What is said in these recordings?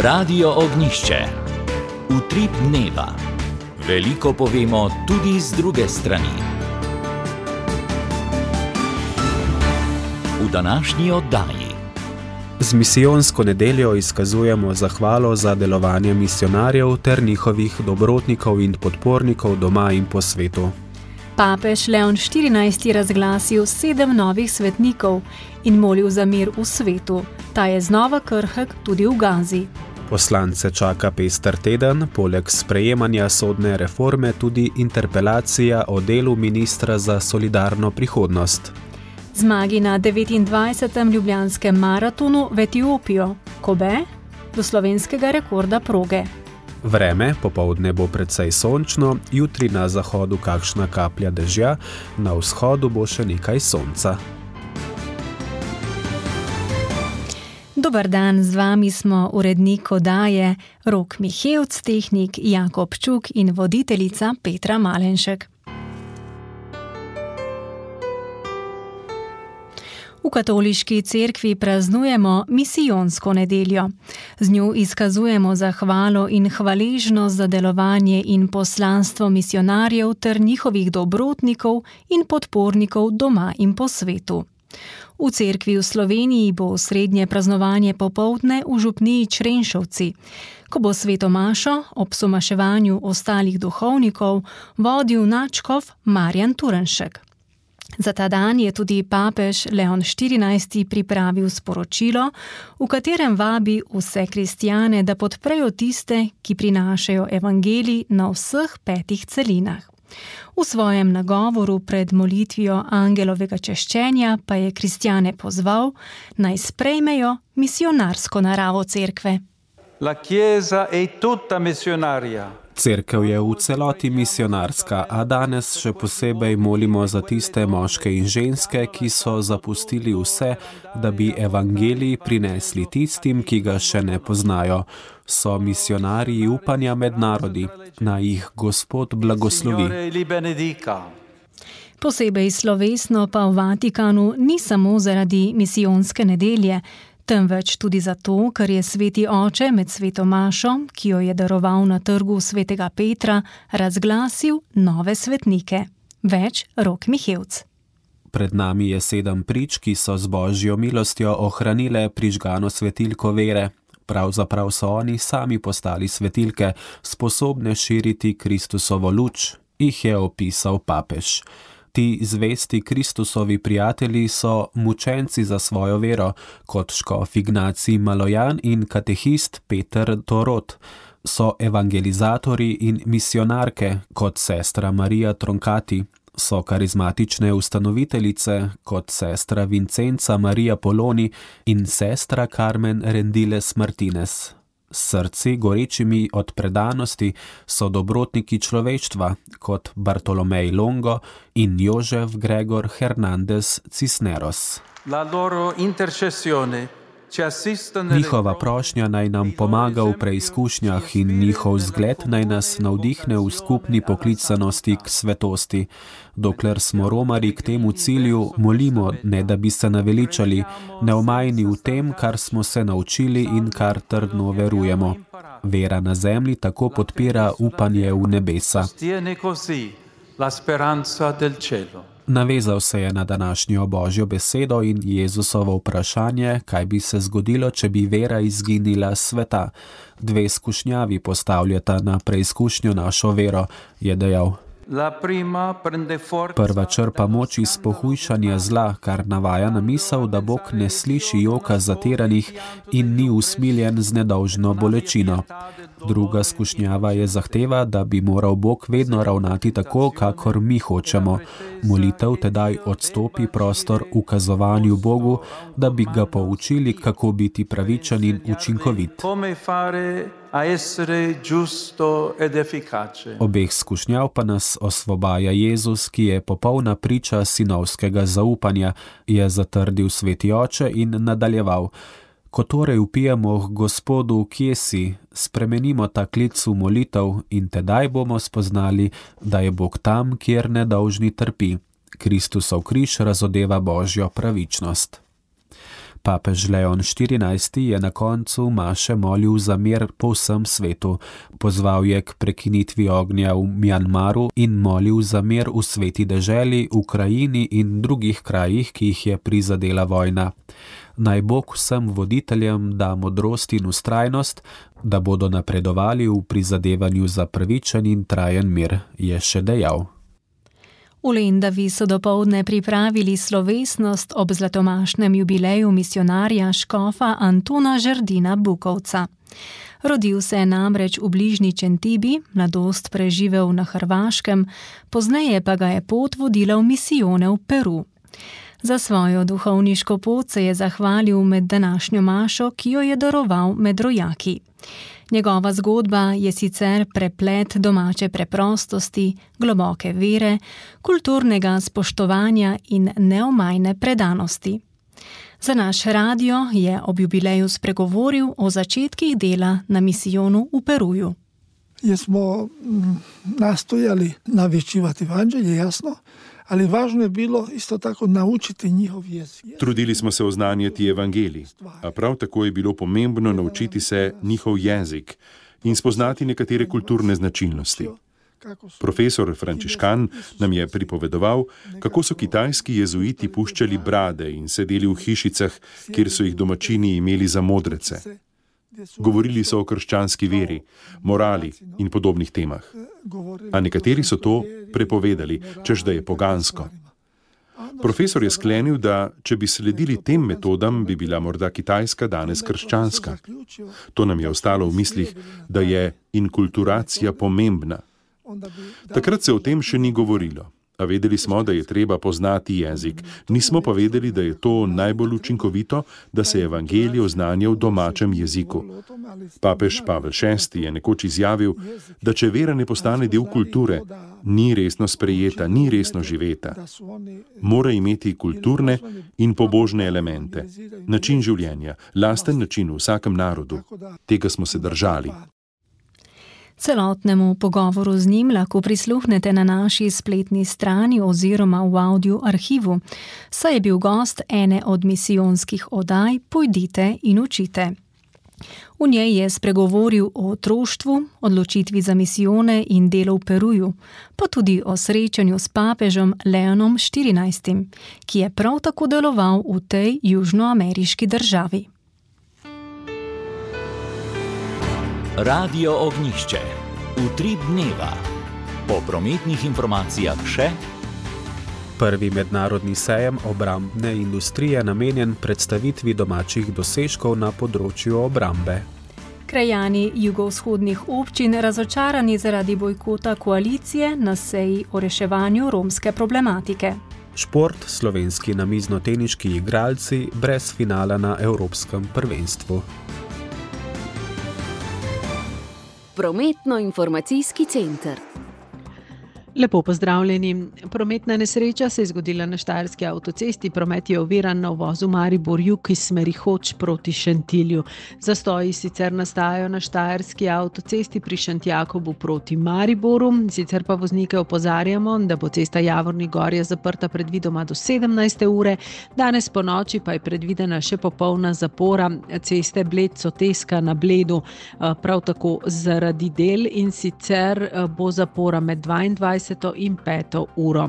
Radio Ognjišče. Utrip dneva. Veliko povemo tudi z druge strani. V današnji oddaji. Z misijonsko nedeljo izkazujemo zahvalo za delovanje misionarjev ter njihovih dobrotnikov in podpornikov doma in po svetu. Papež Leon XIV. Razglasil 7 novih svetnikov in molil za mir v svetu. Ta je znova krhek tudi v Gazi. Poslance čaka pester teden, poleg sprejemanja sodne reforme tudi interpelacija o delu ministra za solidarno prihodnost. Zmagi na 29. ljubljanskem maratonu v Etiopijo, Kobe, do slovenskega rekorda proge. Vreme, popoldne bo precej sončno, jutri na zahodu kakšna kaplja dežja, na vzhodu bo še nekaj sonca. Dober dan, z vami smo urednik oddaje Rok Mihevc, tehnik Jakob Čuk in voditeljica Petra Malenšek. V katoliški cerkvi praznujemo misijonsko nedeljo. Z njo izkazujemo zahvalo in hvaležnost za delovanje in poslanstvo misionarjev ter njihovih dobrotnikov in podpornikov doma in po svetu. V cerkvi v Sloveniji bo srednje praznovanje popoldne v župniji Črenšovci, ko bo sveto mašo ob somaševanju ostalih duhovnikov vodil nadškof Marjan Turnšek. Za ta dan je tudi papež Leon XIV. Pripravil sporočilo, v katerem vabi vse kristjane, da podprejo tiste, ki prinašajo evangelij na vseh 5 celinah. V svojem nagovoru pred molitvijo angelovega češčenja pa je kristjane pozval, naj sprejmejo misionarsko naravo cerkve. La Chiesa è tutta missionaria. Cerkev je v celoti misionarska, a danes še posebej molimo za tiste moške in ženske, ki so zapustili vse, da bi evangelij prinesli tistim, ki ga še ne poznajo. So misionarji upanja med narodi, naj jih Gospod blagoslovi. Posebej slovesno pa v Vatikanu ni samo zaradi misijonske nedelje, temveč tudi zato, ker je sveti oče med sveto mašo, ki jo je daroval na trgu svetega Petra, razglasil nove svetnike. Več Rok Mihevc. Pred nami je 7 prič, ki so z božjo milostjo ohranile prižgano svetilko vere. Pravzaprav so oni sami postali svetilke, sposobne širiti Kristusovo luč, jih je opisal papež. Ti zvesti Kristusovi prijatelji so mučenci za svojo vero, kot škof Ignacij Malojan in katehist Peter Torot. So evangelizatori in misionarke, kot sestra Marija Tronkati. So karizmatične ustanoviteljice, kot sestra Vincenca Marija Poloni in sestra Carmen Rendiles Martinez. S srci gorečimi od predanosti so dobrotniki človeštva, kot Bartolomej Longo in Jožef Gregor Hernandez Cisneros. La loro intercessione ci assiste Njihova prošnja naj nam pomaga v preizkušnjah in njihov zgled naj nas navdihne v skupni poklicanosti k svetosti. Dokler smo romari k temu cilju, molimo, ne da bi se naveličali, neomajni v tem, kar smo se naučili in kar trdno verujemo. Vera na zemlji tako podpira upanje v nebesa. Navezal se je na današnjo božjo besedo in Jezusovo vprašanje, kaj bi se zgodilo, če bi vera izginila s sveta. 2 skušnjavi postavljata na preizkušnjo našo vero, je dejal. Prva črpa moč iz pohujšanja zla, kar navaja na misel, da Bog ne sliši joka zatiranih in ni usmiljen z nedolžno bolečino. Druga skušnjava je zahteva, da bi moral Bog vedno ravnati tako, kakor mi hočemo. Molitev tedaj odstopi prostor ukazovanju Bogu, da bi ga poučili, kako biti pravičen in učinkovit. Obeh skušnjav pa nas osvobaja Jezus, ki je popolna priča sinovskega zaupanja, je zatrdil sveti oče in nadaljeval. Ko torej vpijemo k Gospodu, kje si, spremenimo ta klic v molitev in tedaj bomo spoznali, da je Bog tam, kjer nedolžni trpi. Kristusov križ razodeva božjo pravičnost. Papež Leon XIV je na koncu maše molil za mir po vsem svetu, pozval je k prekinitvi ognja v Mjanmaru in molil za mir v sveti deželi, Ukrajini in drugih krajih, ki jih je prizadela vojna. Naj Bog vsem voditeljem da modrost in vztrajnost, da bodo napredovali v prizadevanju za pravičen in trajen mir, je še dejal. V Lendavi so dopoldne pripravili slovesnost ob zlatomašnem jubileju misionarja škofa Antona Žerdina Bukovca. Rodil se je namreč v bližnji Čentibi, mladost preživel na Hrvaškem, pozneje pa ga je pot vodila v misijone v Peru. Za svojo duhovniško pot se je zahvalil med današnjo mašo, ki jo je daroval med rojaki. Njegova zgodba je sicer preplet domače preprostosti, globoke vere, kulturnega spoštovanja in neomajne predanosti. Za naš radio je ob jubileju spregovoril o začetkih dela na misijonu v Peruju. Smo nastojali navješćivati evanđelje, jasno, ali važno je bilo isto tako naučiti njihov jezik. Trudili smo se oznanjati evangelij, a prav tako je bilo pomembno naučiti se njihov jezik in spoznati nekatere kulturne značilnosti. Profesor Frančiškan nam je pripovedoval, kako so kitajski jezuiti puščali brade in sedeli v hišicah, kjer so jih domačini imeli za modrece. Govorili so o krščanski veri, morali in podobnih temah. A nekateri so to prepovedali, češ da je pogansko. Profesor je sklenil, da če bi sledili tem metodam, bi bila morda Kitajska danes krščanska. To nam je ostalo v mislih, da je inkulturacija pomembna. Takrat se o tem še ni govorilo. A vedeli smo, da je treba poznati jezik. Nismo pa vedeli, da je to najbolj učinkovito, da se evangelij oznanja v domačem jeziku. Papež Pavel VI je nekoč izjavil, da če vera ne postane del kulture, ni resno sprejeta, ni resno živeta. Mora imeti kulturne in pobožne elemente. Način življenja, lasten način v vsakem narodu. Tega smo se držali. Celotnemu pogovoru z njim lahko prisluhnete na naši spletni strani oziroma v audio arhivu, saj je bil gost ene od misijonskih oddaj Pojdite in učite. V njej je spregovoril o otroštvu, odločitvi za misijone in delu v Peruju, pa tudi o srečanju s papežem Leonom XIV, ki je prav tako deloval v tej južnoameriški državi. Radio Ognjišče. Utrip dneva. Po prometnih informacijah še Prvi mednarodni sejem obrambne industrije namenjen predstavitvi domačih dosežkov na področju obrambe. Krajani jugovzhodnih občin razočarani zaradi bojkota koalicije na seji o reševanju romske problematike. Šport, slovenski namiznoteniški igralci brez finala na Evropskem prvenstvu. Prometno-informacijski center. Lepo pozdravljeni. Prometna nesreča se je zgodila na Štajerski avtocesti. Promet je oviran na uvozu Maribor-Jug iz smeri Hoč proti Šentilju. Zastoji sicer nastajajo na Štajerski avtocesti pri Šentjakobu proti Mariboru. Sicer pa voznike opozarjamo, da bo cesta Javornik Gorje zaprta predvidoma do 17. ure. Danes po noči pa je predvidena še popolna zapora ceste Bled-Soteska na Bledu. Prav tako zaradi del in sicer bo zapora med 22. in 5. uro.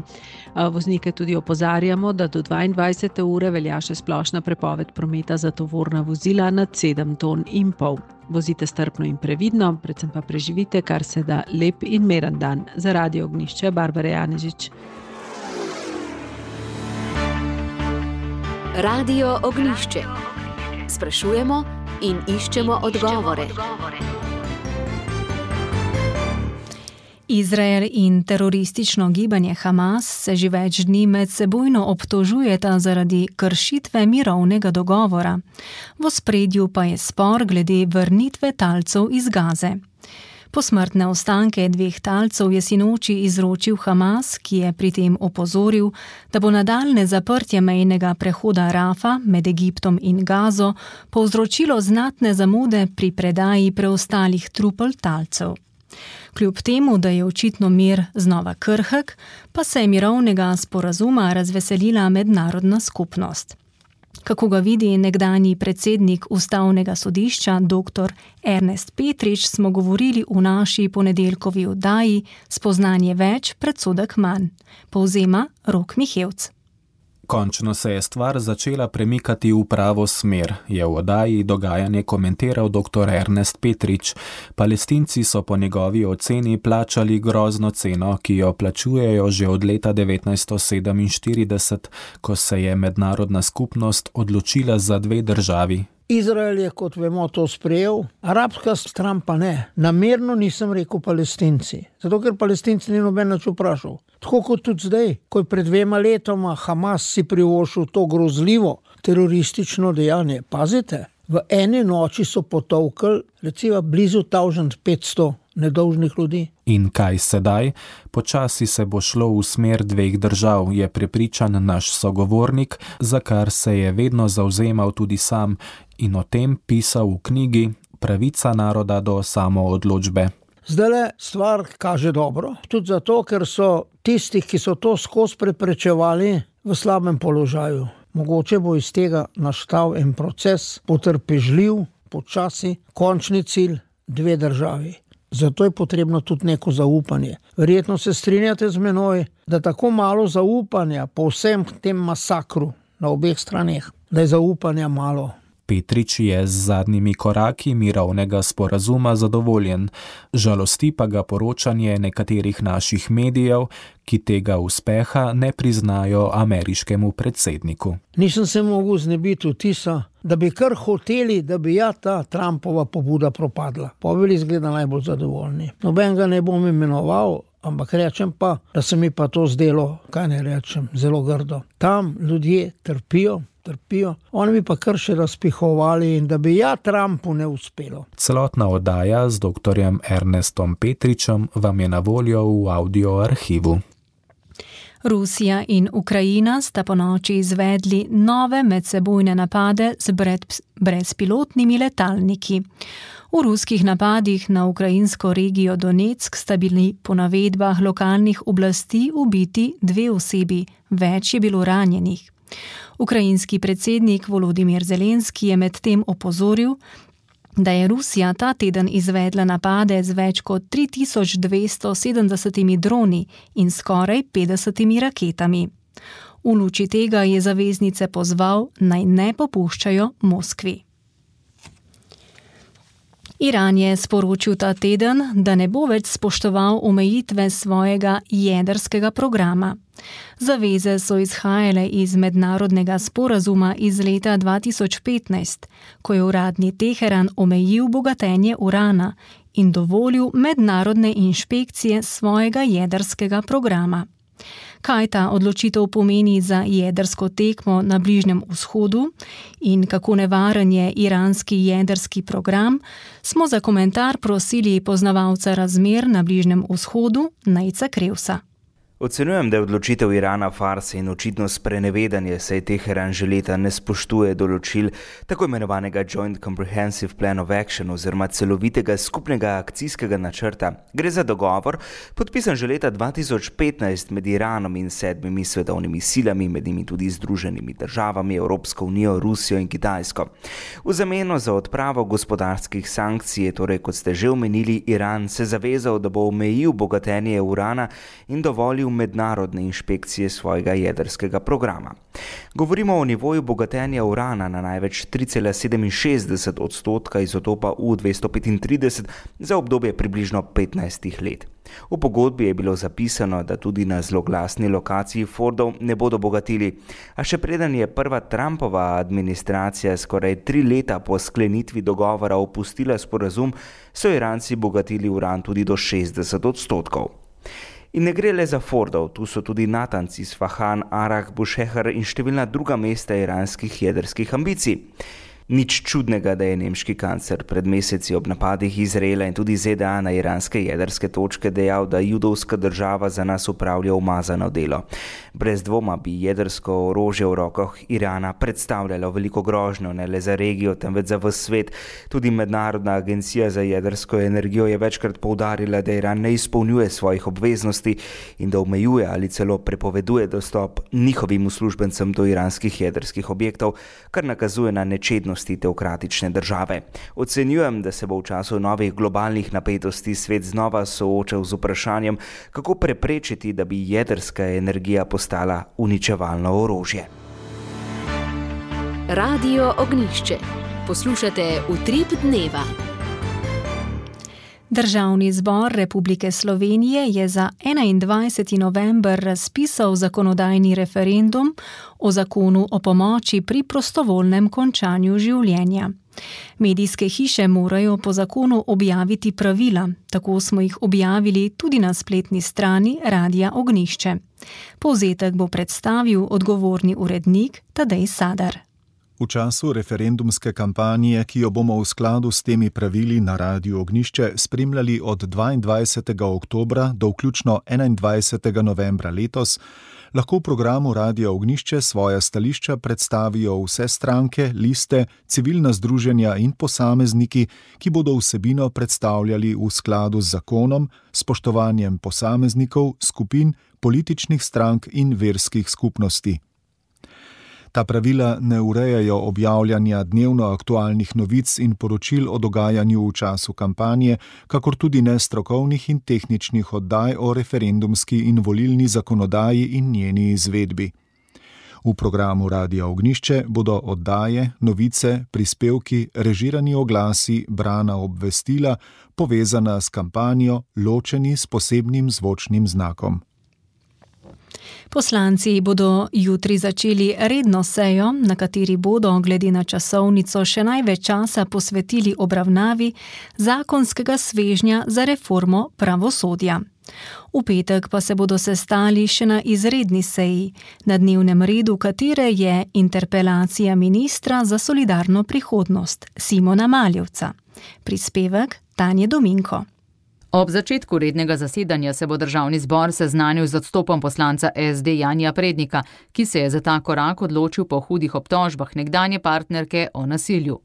Voznike tudi opozarjamo, da do 22. ure velja še splošna prepoved prometa za tovorna vozila nad 7,5 ton. Vozite strpno in previdno, predvsem pa preživite kar se da lep in miren dan. Za Radio Ognjišče, Barbara Janežič. Radio Ognjišče. Sprašujemo in iščemo odgovore. Izrael in teroristično gibanje Hamas se že več dni medsebojno obtožujeta zaradi kršitve mirovnega dogovora. V ospredju pa je spor glede vrnitve talcev iz Gaze. Posmrtne ostanke dveh talcev je sinoči izročil Hamas, ki je pri tem opozoril, da bo nadaljnje zaprtje mejnega prehoda Rafa med Egiptom in Gazo povzročilo znatne zamude pri predaji preostalih trupel talcev. Kljub temu, da je očitno mir znova krhek, pa se je mirovnega sporazuma razveselila mednarodna skupnost. Kako ga vidi nekdanji predsednik Ustavnega sodišča dr. Ernest Petrič, smo govorili v naši ponedeljkovi oddaji Spoznanje več, predsodek manj. Povzema Rok Mihevc. Končno se je stvar začela premikati v pravo smer, je v oddaji dogajanje komentiral dr. Ernest Petrič. Palestinci so po njegovi oceni plačali grozno ceno, ki jo plačujejo že od leta 1947, ko se je mednarodna skupnost odločila za 2 državi. Izrael je, kot vemo, to sprejel, arabska stran pa ne. Namerno nisem rekel Palestinci, zato ker Palestinci ni noben nič vprašal. Tako kot tudi zdaj, ko je pred 2 letoma Hamas si privoščil to grozljivo teroristično dejanje. Pazite, v eni noči so potolkli recimo blizu 1500 nedolžnih ljudi. In kaj sedaj? Počasi se bo šlo v smer 2 držav, je prepričan naš sogovornik, za kar se je vedno zavzemal tudi sam in o tem pisal v knjigi Pravica naroda do samoodločbe. Zdajle stvar kaže dobro, tudi zato, ker so tisti, ki so to skozi preprečevali, v slabem položaju. Mogoče bo iz tega nastal en proces, potrpežljiv, počasi, končni cilj 2 državi. Zato je potrebno tudi neko zaupanje. Verjetno se strinjate z menoj, da tako malo zaupanja po vsem tem masakru na obeh straneh, da je zaupanja malo. Petrič je z zadnjimi koraki mirovnega sporazuma zadovoljen. Žalosti pa ga poročanje nekaterih naših medijev, ki tega uspeha ne priznajo ameriškemu predsedniku. Nisem se mogel znebiti vtisa, da bi kar hoteli, da bi ta Trumpova pobuda propadla. Pa bili izgleda najbolj zadovoljni. Noben ga ne bom imenoval, ampak rečem pa, da se mi pa to zdelo, kaj ne rečem, zelo grdo. Tam ljudje trpijo. Oni bi pa kar še razpihovali in da bi Trumpu ne uspelo. Celotna oddaja z dr. Ernestom Petričem vam je na voljo v audio arhivu. Rusija in Ukrajina sta ponoči izvedli nove medsebojne napade z brezpilotnimi letalniki. V ruskih napadih na ukrajinsko regijo Donetsk sta bili po navedbah lokalnih oblasti ubiti 2 osebi, več je bilo ranjenih. Ukrajinski predsednik Volodimir Zelenski je medtem opozoril, da je Rusija ta teden izvedla napade z več kot 3270 droni in skoraj 50 raketami. V luči tega je zaveznice pozval, naj ne popuščajo Moskvi. Iran je sporočil ta teden, da ne bo več spoštoval omejitve svojega jedrskega programa. Zaveze so izhajale iz mednarodnega sporazuma iz leta 2015, ko je uradni Teheran omejil bogatenje urana in dovolil mednarodne inšpekcije svojega jedrskega programa. Kaj ta odločitev pomeni za jedrsko tekmo na Bližnjem vzhodu in kako nevaren je iranski jedrski program, smo za komentar prosili poznavalca razmer na Bližnjem vzhodu Nejca Krevsa. Ocenjujem, da je odločitev Irana farsa in očitno sprenevedanje, saj Teheran že leta ne spoštuje določil tako imenovanega Joint Comprehensive Plan of Action oziroma celovitega skupnega akcijskega načrta. Gre za dogovor, podpisan že leta 2015 med Iranom in 7 svetovnimi silami, med njimi tudi Združenimi državami, Evropsko unijo, Rusijo in Kitajsko. V zameno za odpravo gospodarskih sankcij je torej, kot ste že omenili, Iran se zavezal, da bo omejil bogatenje urana in dovolil mednarodne inšpekcije svojega jedrskega programa. Govorimo o nivoju bogatenja urana na največ 3,67% izotopa U-235 za obdobje približno 15 let. V pogodbi je bilo zapisano, da tudi na zloglasni lokaciji Fordov ne bodo bogatili, a še preden je prva Trumpova administracija skoraj 3 leta po sklenitvi dogovora opustila sporazum, so Iranci bogatili uran tudi do 60%. In ne gre le za Fordov, tu so tudi Natanz, Isfahan, Arak, Bushehr in številna druga mesta iranskih jedrskih ambicij. Nič čudnega, da je nemški kancler pred meseci ob napadih Izraela in tudi ZDA na iranske jedrske točke dejal, da judovska država za nas upravlja umazano delo. Brez dvoma bi jedrsko orožje v rokah Irana predstavljalo veliko grožnjo, ne le za regijo, temveč za ves svet. Tudi Mednarodna agencija za jedrsko energijo je večkrat poudarila, da Iran ne izpolnjuje svojih obveznosti in da omejuje ali celo prepoveduje dostop njihovim uslužbencem do iranskih jedrskih objektov, kar nakazuje na nečednost teokratične države. Ocenjujem, da se bo v času novih globalnih napetosti svet znova soočal z vprašanjem, kako preprečiti, da bi jedrska energija postala uničevalno orožje. Radio Ognjišče. Poslušate Utrip dneva. Državni zbor Republike Slovenije je za 21. november razpisal zakonodajni referendum o zakonu o pomoči pri prostovoljnem končanju življenja. Medijske hiše morajo po zakonu objaviti pravila, tako smo jih objavili tudi na spletni strani Radia Ognjišče. Povzetek bo predstavil odgovorni urednik Tadej Sadar. V času referendumske kampanje, ki jo bomo v skladu s temi pravili na Radiu Ognjišče spremljali od 22. oktobra do vključno 21. novembra letos, lahko v programu Radia Ognjišče svoja stališča predstavijo vse stranke, liste, civilna združenja in posamezniki, ki bodo vsebino predstavljali v skladu z zakonom, spoštovanjem posameznikov, skupin, političnih strank in verskih skupnosti. Ta pravila ne urejajo objavljanja dnevno aktualnih novic in poročil o dogajanju v času kampanje, kakor tudi ne strokovnih in tehničnih oddaj o referendumski in volilni zakonodaji in njeni izvedbi. V programu Radia Ognjišče bodo oddaje, novice, prispevki, režirani oglasi, brana obvestila, povezana s kampanjo, ločeni s posebnim zvočnim znakom. Poslanci bodo jutri začeli redno sejo, na kateri bodo glede na časovnico še največ časa posvetili obravnavi zakonskega svežnja za reformo pravosodja. V petek pa se bodo sestali še na izredni seji, na dnevnem redu katere je interpelacija ministra za solidarno prihodnost Simona Maljevca. Prispevek Tanje Dominko. Ob začetku rednega zasedanja se bo državni zbor seznanil z odstopom poslanca SD Janija Prednika, ki se je za ta korak odločil po hudih obtožbah nekdanje partnerke o nasilju.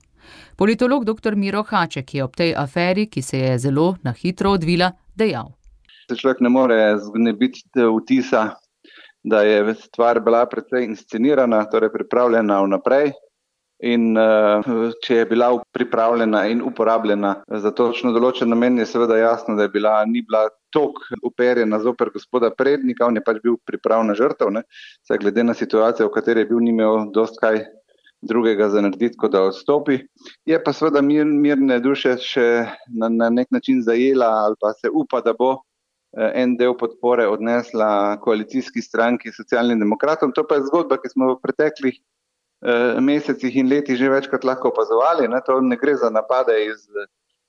Politolog dr. Miro Haček je ob tej aferi, ki se je zelo na hitro odvila, dejal. Človek ne more znebiti vtisa, da je stvar bila precej inscenirana, torej pripravljena vnaprej. In če je bila pripravljena in uporabljena za točno določen namen, je seveda jasno, da ni bila toliko uperjena zoper gospoda Prednika, on je pač bil pripravna žrtev, saj glede na situacijo, v kateri je bil, ni imel dosti kaj drugega za narediti, kot da odstopi. Je pa seveda mirne duše še na nek način zajela ali pa se upa, da bo en del podpore odnesla koalicijski stranki Socialnim demokratom. To pa je zgodba, ki smo v preteklih mesecih in letih že večkrat lahko opazovali. To ne gre za napade iz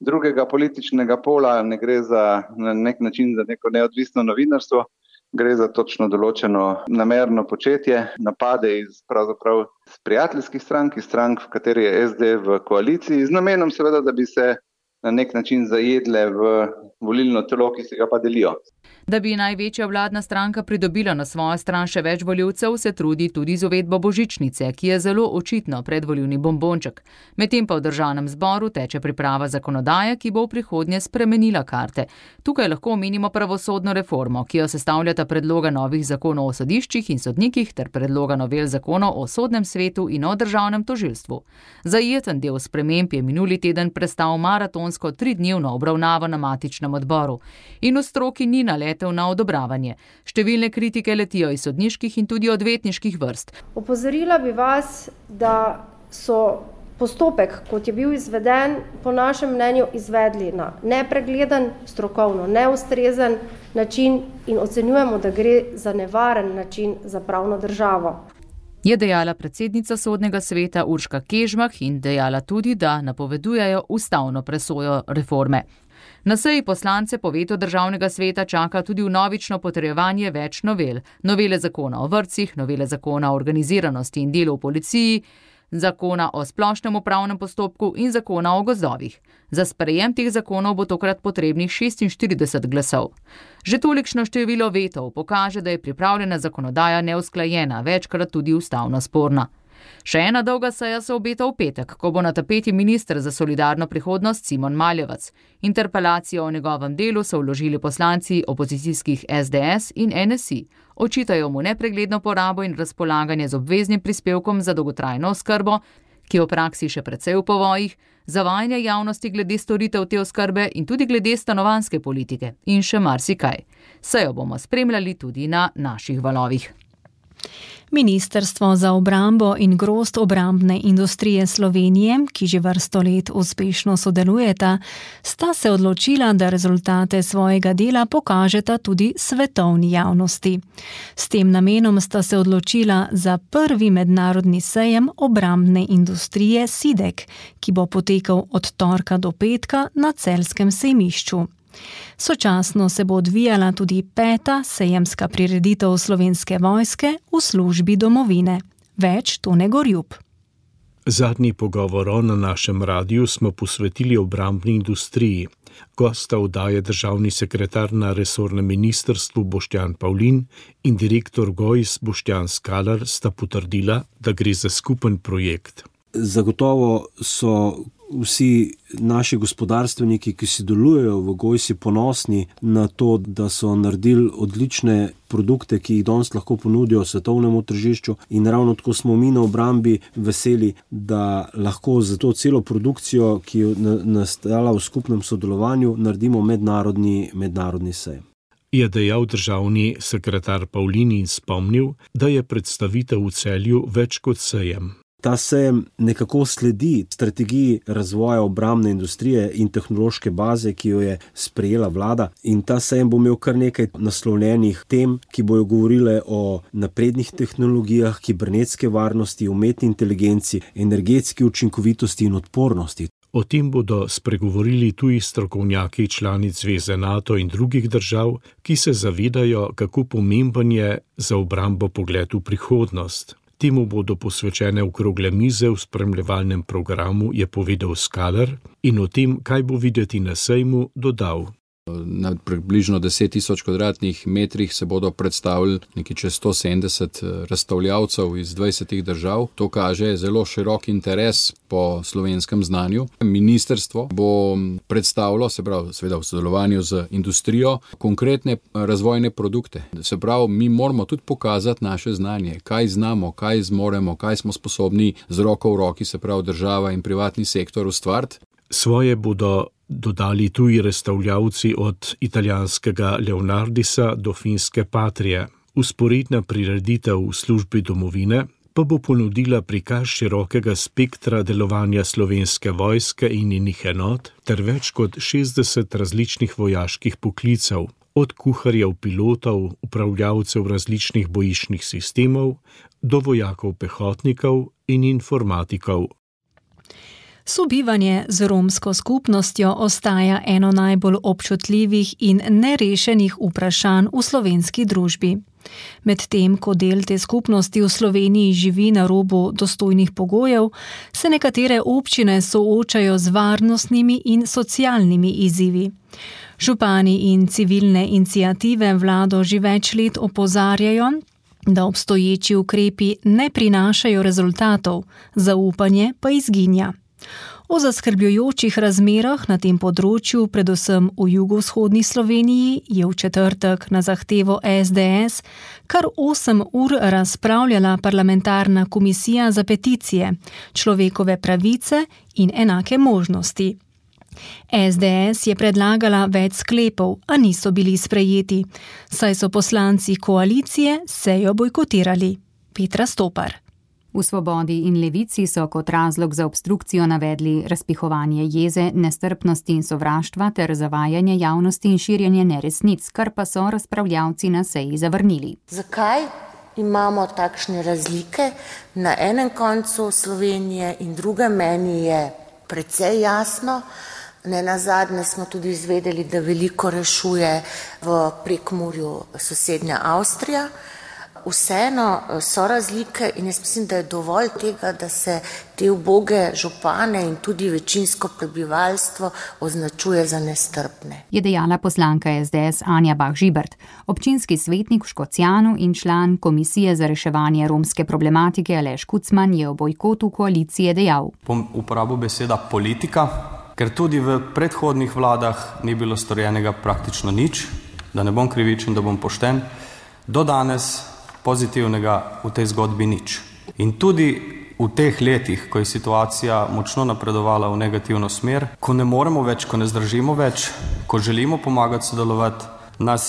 drugega političnega pola, ne gre za na nek način za neko neodvisno novinarstvo, gre za točno določeno namerno početje, napade iz pravzaprav prijateljskih strank, v kateri je SD v koaliciji, z namenom seveda, da bi se na nek način zajedle v volilno telo, ki se ga pa delijo. Da bi največja vladna stranka pridobila na svojo stran še več volivcev, se trudi tudi z uvedbo božičnice, ki je zelo očitno predvolilni bombonček. Medtem pa v državnem zboru teče priprava zakonodaje, ki bo v prihodnje spremenila karte. Tukaj lahko omenimo pravosodno reformo, ki jo sestavljata predloga novih zakonov o sodiščih in sodnikih ter predloga novel zakonov o sodnem svetu in o državnem tožilstvu. Zajeten del sprememb je minuli teden prestal maratonsko 3-dnevno obravnavo na matičnem odboru. In v stroki ni na odobravanje. Številne kritike letijo iz sodniških in tudi odvetniških vrst. Opozorila bi vas, da so postopek, kot je bil izveden, po našem mnenju izvedli na nepregleden, strokovno neustrezen način in ocenjujemo, da gre za nevaren način za pravno državo. Je dejala predsednica sodnega sveta Urška Kežmah in dejala tudi, da napovedujejo ustavno presojo reforme. Na seji poslance po vetu državnega sveta čaka tudi vnovično potrjevanje več novel. Novele zakona o vrtcih, novele zakona o organiziranosti in delu v policiji, zakona o splošnem upravnem postopku in zakona o gozdovih. Za sprejem teh zakonov bo tokrat potrebnih 46 glasov. Že tolikšno število vetov pokaže, da je pripravljena zakonodaja neusklajena, večkrat tudi ustavno sporna. Še ena dolga seja se obeta v petek, ko bo na tapeti minister za solidarno prihodnost Simon Maljevac. Interpelacijo o njegovem delu so vložili poslanci opozicijskih SDS in NSI. Očitajo mu nepregledno porabo in razpolaganje z obveznim prispevkom za dolgotrajno oskrbo, ki je v praksi še precej v povojih, zavajanje javnosti glede storitev te oskrbe in tudi glede stanovanjske politike in še marsikaj. Sejo bomo spremljali tudi na naših valovih. Ministrstvo za obrambo in grozd obrambne industrije Slovenije, ki že vrsto let uspešno sodelujeta, sta se odločila, da rezultate svojega dela pokažeta tudi svetovni javnosti. S tem namenom sta se odločila za prvi mednarodni sejem obrambne industrije SIDEK, ki bo potekal od torka do petka na Celjskem sejmišču. Sočasno se bo odvijala tudi 5. sejemska prireditev Slovenske vojske v službi domovine. Več Tone Gorjup. Zadnji pogovor na našem radiju smo posvetili obrambni industriji. Gosta oddaje državni sekretar na resornem ministrstvu Boštjan Pavlin in direktor GOIS Boštjan Skalar sta potrdila, da gre za skupen projekt. Zagotovo so vsi naši gospodarstveniki, ki sodelujejo v GOIS-i, ponosni na to, da so naredili odlične produkte, ki jih danes lahko ponudijo svetovnemu tržišču, in ravno tako smo mi na obrambi veseli, da lahko za to celo produkcijo, ki je nastala v skupnem sodelovanju, naredimo mednarodni sejem. Je dejal državni sekretar Pavlin in spomnil, da je predstavitev v Celju več kot sejem. Ta sejem nekako sledi strategiji razvoja obrambne industrije in tehnološke baze, ki jo je sprejela vlada, in ta sejem bo imel kar nekaj naslovljenih tem, ki bojo govorile o naprednih tehnologijah, kibernetske varnosti, umetni inteligenci, energetski učinkovitosti in odpornosti. O tem bodo spregovorili tuji strokovnjaki članic Zveze NATO in drugih držav, ki se zavedajo, kako pomemben je za obrambo pogled v prihodnost. Temu bodo posvečene okrogle mize v spremljevalnem programu, je povedal Skalar, in o tem, kaj bo videti na sejmu, dodal. Na približno 10.000 kvadratnih metrih se bodo predstavili nekaj čez 170 razstavljavcev iz 20 držav. To kaže zelo širok interes po slovenskem znanju. Ministrstvo bo predstavilo, se pravi, seveda v sodelovanju z industrijo, konkretne razvojne produkte. Se pravi, mi moramo tudi pokazati naše znanje, kaj znamo, kaj zmoremo, kaj smo sposobni z roko v roki, se pravi država in privatni sektor, ustvariti. Svoje bodo dodali tuji razstavljavci od italijanskega Leonardisa do finske Patrije. Vzporedna prireditev v službi domovine pa bo ponudila prikaz širokega spektra delovanja Slovenske vojske in njenih enot ter več kot 60 različnih vojaških poklicev, od kuharjev, pilotov, upravljavcev različnih bojiščnih sistemov do vojakov pehotnikov in informatikov. Sobivanje z romsko skupnostjo ostaja eno najbolj občutljivih in nerešenih vprašanj v slovenski družbi. Medtem, ko del te skupnosti v Sloveniji živi na robu dostojnih pogojev, se nekatere občine soočajo z varnostnimi in socialnimi izzivi. Župani in civilne iniciative vlado že več let opozarjajo, da obstoječi ukrepi ne prinašajo rezultatov, zaupanje pa izginja. O zaskrbljujočih razmerah na tem področju, predvsem v jugovzhodni Sloveniji, je v četrtek na zahtevo SDS kar 8 ur razpravljala parlamentarna komisija za peticije, človekove pravice in enake možnosti. SDS je predlagala več sklepov, a niso bili sprejeti, saj so poslanci koalicije sejo bojkotirali. Petra Stopar. V Svobodi in Levici so kot razlog za obstrukcijo navedli razpihovanje jeze, nestrpnosti in sovraštva ter zavajanje javnosti in širjenje neresnic, kar pa so razpravljavci na seji zavrnili. Zakaj imamo takšne razlike na enem koncu Slovenije in drugem? Meni je precej jasno. Nenazadnje smo tudi izvedeli, da veliko rešuje v Prekmurju sosednja Avstrija. vseeno so razlike in jaz mislim, da je dovolj tega, da se te uboge župane in tudi večinsko prebivalstvo označuje za nestrpne. Je dejala poslanka SDS Anja Bah Žibert. Občinski svetnik v Škocjanu in član Komisije za reševanje romske problematike Aleš Kucman je o bojkotu koalicije dejal. Bom uporabil beseda politika, ker tudi v predhodnih vladah ni bilo storjenega praktično nič, da ne bom krivičen, da bom pošten, do danes pozitivnega v tej zgodbi nič. In tudi v teh letih, ko je situacija močno napredovala v negativno smer, ko ne moremo več, ko ne zdržimo več, ko želimo pomagati sodelovati, nas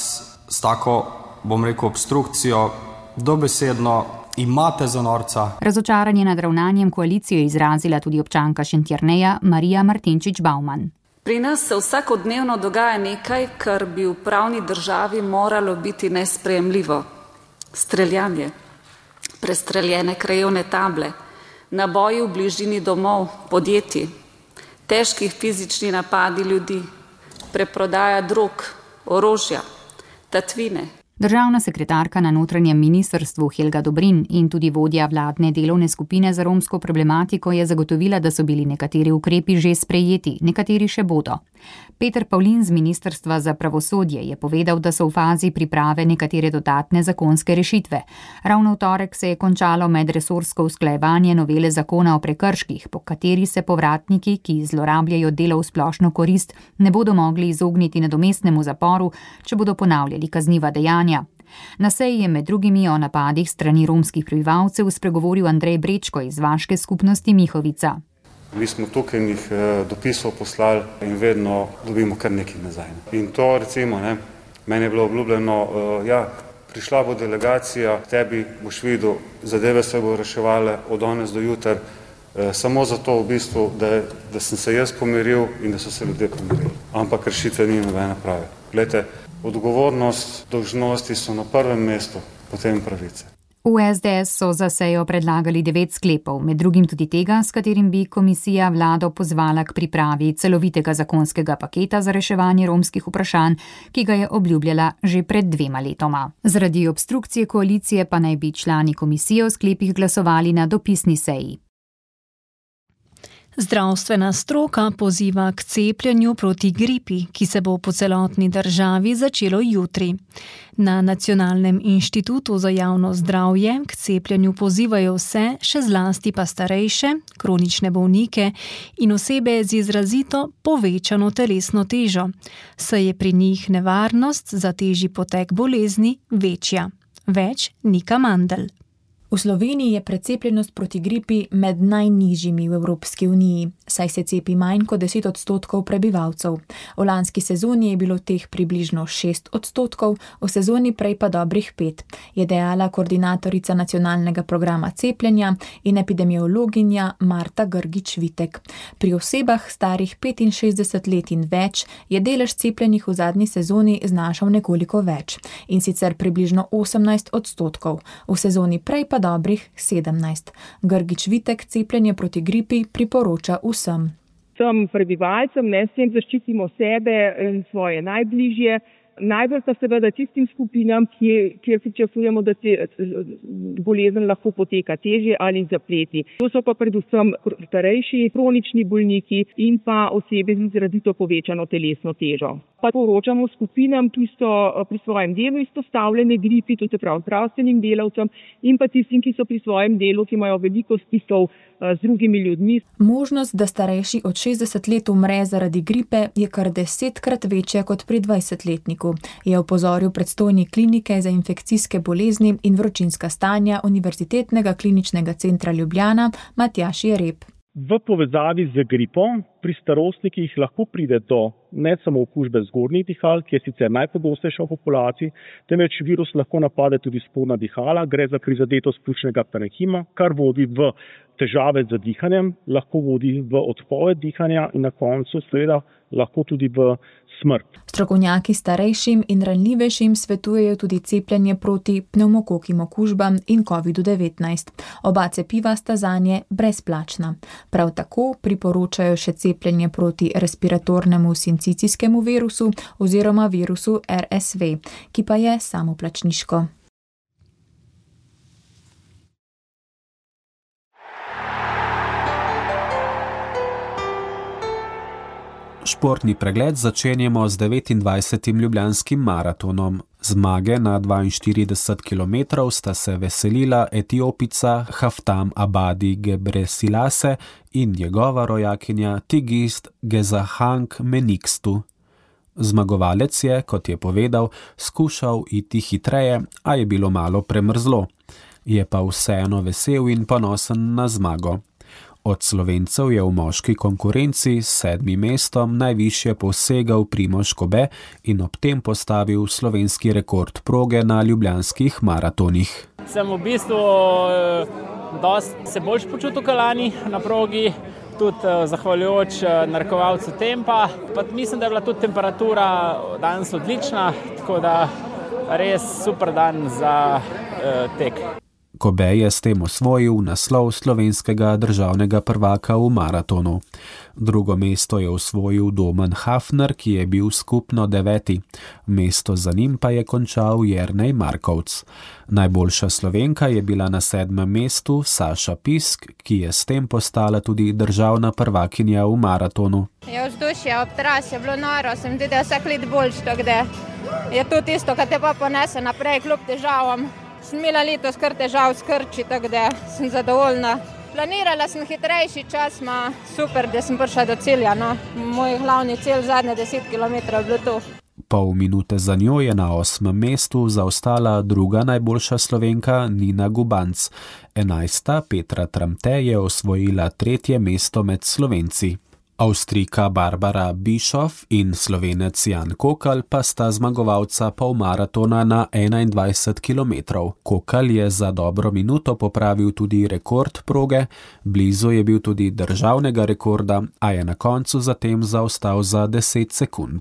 s tako, bom rekel, obstrukcijo dobesedno imate za norca. Razočaranje nad ravnanjem koalicije je izrazila tudi občanka Šentjerneja Marija Martinčič-Bauman. Pri nas se vsakodnevno dogaja nekaj, kar bi v pravni državi moralo biti nesprejemljivo. Streljanje, prestreljene krajevne table, naboji v bližini domov, podjetij, težki fizični napadi ljudi, preprodaja drog, orožja, tatvine. Državna sekretarka na notranjem ministrstvu Helga Dobrin in tudi vodja vladne delovne skupine za romsko problematiko je zagotovila, da so bili nekateri ukrepi že sprejeti, nekateri še bodo. Peter Pavlin z Ministrstva za pravosodje je povedal, da so v fazi priprave nekatere dodatne zakonske rešitve. Ravno v torek se je končalo medresorsko usklajevanje novele zakona o prekrških, po kateri se povratniki, ki zlorabljajo delo v splošno korist, ne bodo mogli izogniti nadomestnemu zaporu, če bodo ponavljali kazniva dejanja. Na seji je med drugimi o napadih strani romskih prebivalcev spregovoril Andrej Brečko iz vaške skupnosti Mihovica. Mi smo tokenih dopisov poslali in vedno dobimo kar nekaj nazaj. In to recimo, meni je bilo obljubljeno, prišla bo delegacija, tebi boš videl, zadeve se bo reševale od danes do jutra, samo zato v bistvu, da sem se jaz pomiril in da so se ljudje pomirili. Ampak rešitve ni nobene prave. Glejte, odgovornost, dolžnosti so na prvem mestu, potem pravice. V SDS so za sejo predlagali 9 sklepov, med drugim tudi tega, s katerim bi komisija vlado pozvala k pripravi celovitega zakonskega paketa za reševanje romskih vprašanj, ki ga je obljubljala že pred 2 letoma. Zaradi obstrukcije koalicije pa naj bi člani komisije o sklepih glasovali na dopisni seji. Zdravstvena stroka poziva k cepljenju proti gripi, ki se bo po celotni državi začelo jutri. Na Nacionalnem inštitutu za javno zdravje k cepljenju pozivajo vse, še zlasti pa starejše, kronične bolnike in osebe z izrazito povečano telesno težo, saj je pri njih nevarnost za težji potek bolezni večja. Več Nika Mandl. V Sloveniji je precepljenost proti gripi med najnižjimi v Evropski uniji, saj se cepi manj kot 10% prebivalcev. V lanski sezoni je bilo teh približno 6%, v sezoni prej pa dobrih 5%, je dejala koordinatorica nacionalnega programa cepljenja in epidemiologinja Marta Grgič-Vitek. Pri osebah starih 65 let in več je delež cepljenih v zadnji sezoni znašal nekoliko več, in sicer približno 18%, v sezoni prej pa dobrih 17%. Grgič-Vitek cepljenje proti gripi priporoča vsem. Vsem prebivalcem, s tem zaščitimo sebe in svoje najbližje. Najbolj pa seveda tistim skupinam, kjer pričakujemo, da se bolezen lahko poteka težje ali zapleti. To so pa predvsem starejši, kronični bolniki in pa osebe z izrazito povečano telesno težo. Pa poročamo skupinam, ki so pri svojem delu izpostavljene gripi, to se pravi zdravstvenim delavcem in pa tistim, ki so pri svojem delu, ki imajo veliko stikov z drugimi ljudmi. Možnost, da starejši od 60 let umre zaradi gripe, je kar 10-krat večja kot pri 20-letniku, je opozoril predstojnik klinike za infekcijske bolezni in vročinska stanja Univerzitetnega kliničnega centra Ljubljana Matjaž Jereb. V povezavi z gripo pri starostnikih lahko pride do ne samo okužbe zgornjih dihal, ki je sicer najpogostejša v populaciji, temveč virus lahko napade tudi spodnja dihala, gre za prizadetost pljučnega parenhima, kar vodi v težave z dihanjem, lahko vodi v odpoved dihanja in na koncu seveda lahko tudi v smrt. Strokovnjaki starejšim in ranljivejšim svetujejo tudi cepljenje proti pnevmokokim okužbam in COVID-19. Oba cepiva sta zanje brezplačna. Prav tako priporočajo še cepljenje proti respiratornemu sincicijskemu virusu oziroma virusu RSV, ki pa je samoplačniško. Športni pregled začenjamo z 29. ljubljanskim maratonom. Zmage na 42 km sta se veselila Etiopica Haftam Abadi Gebresilase in njegova rojakinja Tigist Gezahang Menikstu. Zmagovalec je, kot je povedal, skušal iti hitreje, a je bilo malo premrzlo. Je pa vseeno vesel in ponosen na zmago. Od Slovencev je v moški konkurenci s 7. mestom najvišje posegal Primož Kobe in ob tem postavil slovenski rekord proge na ljubljanskih maratonih. Sem v bistvu dosti se boljš počutil kot lani na progi, tudi zahvaljujoč narekovalcu tempa. Pa mislim, da je bila tudi temperatura danes odlična, tako da res super dan za tek. Kobe je s tem osvojil naslov slovenskega državnega prvaka v maratonu. Drugo mesto je osvojil Domen Hafner, ki je bil skupno 9. Mesto za njim pa je končal Jernej Markovc. Najboljša Slovenka je bila na 7. mestu Saša Pisk, ki je s tem postala tudi državna prvakinja v maratonu. Vzdušje ob trasi je bilo noro, sem tudi vsak let boljš, tako da je to tisto, kar te pa ponese naprej kljub težavam. Sem imela letos kar težav s krči, tako da sem zadovoljna. Planirala sem hitrejši čas, super, da sem prišla do cilja. No. Moj glavni cilj zadnje 10 km je bilo to. Pol minute za njo je na 8. mestu zaostala druga najboljša Slovenka Nina Gubanc. 11. Petra Tramte je osvojila 3. mesto med Slovenci. Avstrijka Barbara Bischoff in Slovenec Jan Kokal pa sta zmagovalca polmaratona na 21 km. Kokal je za dobro minuto popravil tudi rekord proge, blizu je bil tudi državnega rekorda, a je na koncu zatem zaostal za 10 sekund.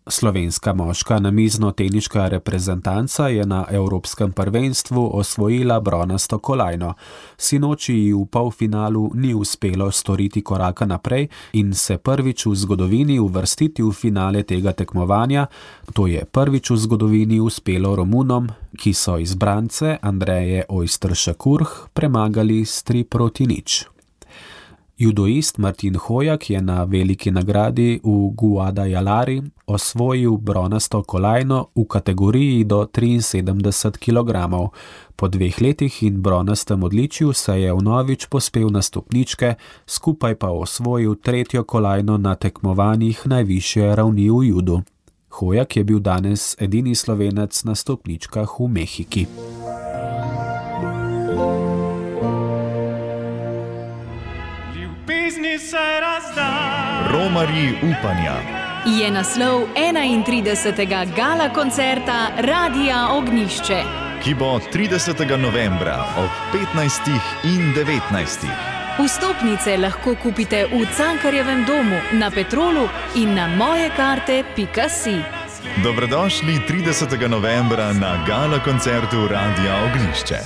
Slovenska moška namizno-teniška reprezentanca je na Evropskem prvenstvu osvojila bronasto kolajno. Sinoči ji v polfinalu ni uspelo storiti koraka naprej in se prvič v zgodovini uvrstiti v finale tega tekmovanja. To je prvič v zgodovini uspelo Romunom, ki so izbrance Andreje Oyster-Shakurh premagali s 3-0. Judoist Martin Hojak je na veliki nagradi v Guadalajari osvojil bronasto kolajno v kategoriji do 73 kg. Po 2 letih in bronastem odličju se je vnovič pospel na stopničke, skupaj pa osvojil 3. kolajno na tekmovanjih najvišje ravni v judu. Hojak je bil danes edini Slovenec na stopničkah v Mehiki. Romarji upanja. Je naslov 31. gala koncerta Radia Ognišče, ki bo 30. novembra ob 15. in 19. Vstopnice lahko kupite v Cankarjevem domu, na Petrolu in na mojekarte.si. Dobrodošli 30. novembra na gala koncertu Radia Ognišče.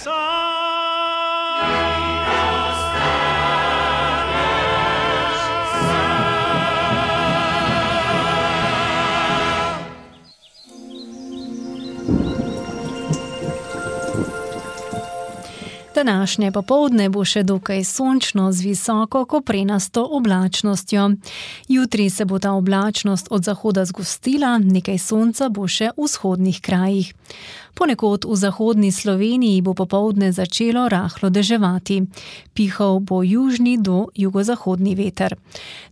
Današnje popoldne bo še dokaj sončno z visoko koprenasto oblačnostjo. Jutri se bo ta oblačnost od zahoda zgostila, nekaj sonca bo še v vzhodnih krajih. Ponekod v zahodni Sloveniji bo popoldne začelo rahlo deževati. Pihal bo južni do jugozahodni veter.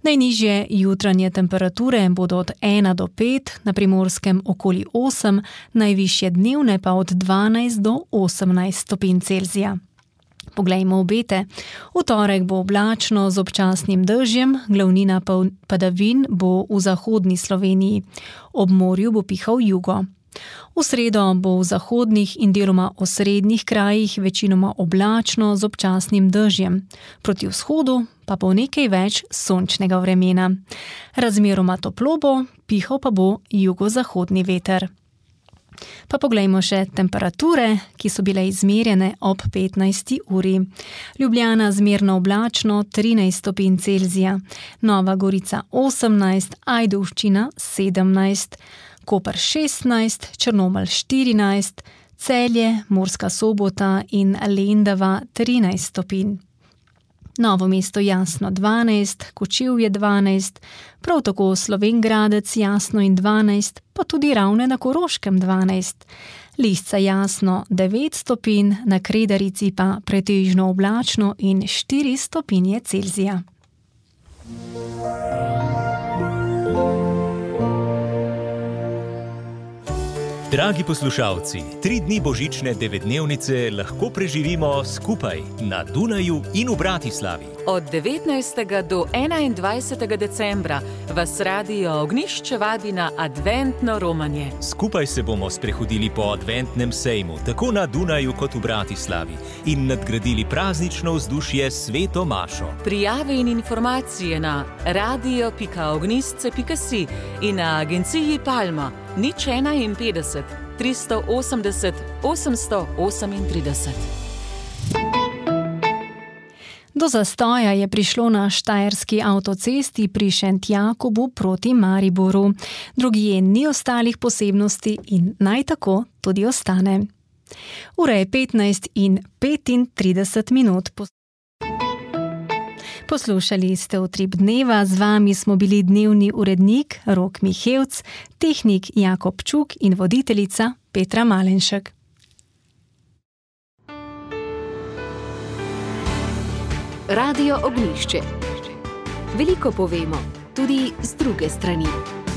Najnižje jutranje temperature bodo od 1 do 5, na Primorskem okoli 8, najvišje dnevne pa od 12 do 18 stopinj Celzija. Poglejmo obete. V torek bo oblačno z občasnim dežjem, glavnina padavin bo v zahodni Sloveniji. Ob morju bo pihal jugo. V sredo bo v zahodnih in deloma osrednjih krajih večinoma oblačno z občasnim dežjem. Proti vzhodu pa bo nekaj več sončnega vremena. Razmeroma toplo bo, pihal pa bo jugozahodni veter. Pa poglejmo še temperature, ki so bile izmerjene ob 15. uri. Ljubljana zmerno oblačno 13 stopinj Celzija, Nova Gorica 18, Ajdovščina 17, Koper 16, Črnomelj 14, Celje, Murska Sobota in Lendava 13 stopinj. Novo mesto Jasno 12, Kočevje 12, prav tako Slovenj Gradec Jasno in 12, pa tudi Ravne na Koroškem 12. Lisca Jasno 9 stopinj, na Kredarici pa pretežno oblačno in 4 stopinje Celzija. Dragi poslušalci, 3 dni božične 9-dnevnice lahko preživimo skupaj na Dunaju in v Bratislavi. Od 19. do 21. decembra vas Radio Ognjišče vabi na adventno romanje. Skupaj se bomo sprehodili po adventnem sejmu, tako na Dunaju kot v Bratislavi, in nadgradili praznično vzdušje s Sveto mašo. Prijave in informacije na radio.ognjišče.si in na agenciji Palma 051 380 838. Do zastoja je prišlo na štajerski avtocesti pri Šentjakobu proti Mariboru. Drugje ni ostalih posebnosti in naj tako tudi ostane. Ura je 15:35. Poslušali ste Utrip dneva, z vami smo bili dnevni urednik Rok Mihevc, tehnik Jakob Čuk in voditeljica Petra Malenšek. Radio Ognjišče. Veliko povemo, tudi z druge strani.